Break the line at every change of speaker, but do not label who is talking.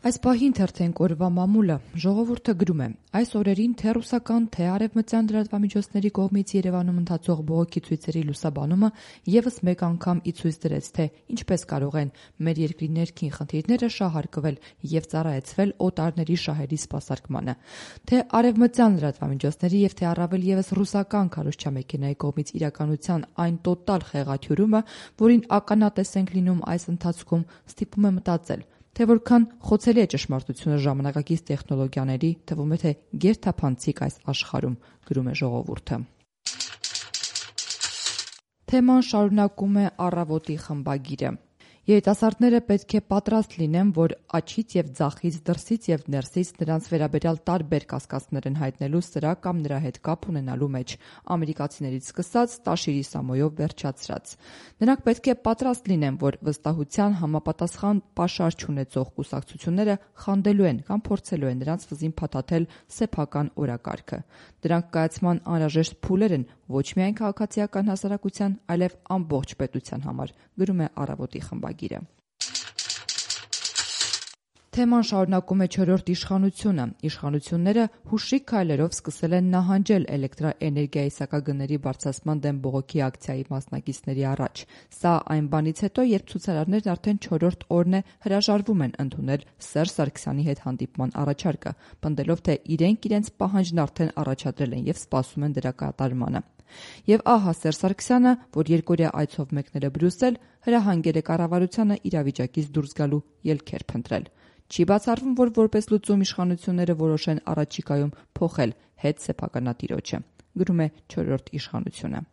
Այս պահին թերթենք օրվա մամուլը ժողովուրդը գրում է. այս օրերին թե ռուսական, թե արևմտյան լրատվամիջոցների կողմից Երևանում ընթացող բողոքի ցույցերի լուսաբանումը եւս մեկ անգամ ի ցույց դրեց, թե ինչպես կարող են մեր երկրի ներքին խնդիրները շահարկվել եւ ծառայեցվել օտարների շահերի սպասարկմանը, թե արևմտյան լրատվամիջոցների եւ թե առավել եւս ռուսական քարոզչամեքենայի կողմից իրականության այն տոտալ խեղաթյուրումը, որին ականատես ենք լինում այս ընթացքում, ստիպում է մտածել, թե որքան խոցելի է ճշմարտությունը ժամանակակից տեխնոլոգիաների, թվում է թե գերթափանցիկ այս աշխարհում, գրում է ժողովուրդը։ Թեման շարունակում է Առավոտի խմբագիրը։ Երիտասարդները պետք է պատրաստ լինեն, որ աջից եւ ձախից, դրսից եւ ներսից նրանց վերաբերյալ տարբեր կասկածներ են հայտնելու սրա կամ նրա հետ կապ ունենալու մեջ, ամերիկացիներից սկսած Տաշիրի Սամոյով վերջացրած։ Նրանք պետք է պատրաստ լինեն, որ վստահության համապատասխան պաշար չունեցող կուսակցությունները խանդելու են կամ փորձելու են նրանց վզին փաթաթել սեփական օրակարգը։ Դրանք կայացման անհրաժեշտ փուլեր են ոչ միայն քաղաքացիական հասարակության, այլև ամբողջ պետության համար, գրում է Առավոտի խմբագիրը։ Թեման շարունակում է չորրորդ իշխանությունը։ Իշխանությունները հուշիկ քայլերով սկսել են նահանջել էլեկտրաէներգիայի սակագների բարձրացման դեմ բողոքի ակցիայի մասնակիցների առաջ։ Սա այն բանից հետո, երբ ցուցարարներն արդեն չորրորդ օրն է հրաժարվում են ընդունել Սերժ Սարգսյանի հետ հանդիպման առաջարկը, պնդելով, թե իրենք պահանջն արդեն առաջադրել են եւ սպասում են դրա կատարմանը։ Եվ ահա Սերժ Սարգսյանը, որ երկօրյա այցով մեկնել է Բրյուսել, հրահանգել է կառավարությանը իրավիճակից դուրս գալու ելքեր փնտրել։ Չի բացառվում, որ որպես լուծում իշխանությունները որոշեն առաջիկայում փոխել հետ սեփականատիրոջը, գրում է չորրորդ իշխանությունը։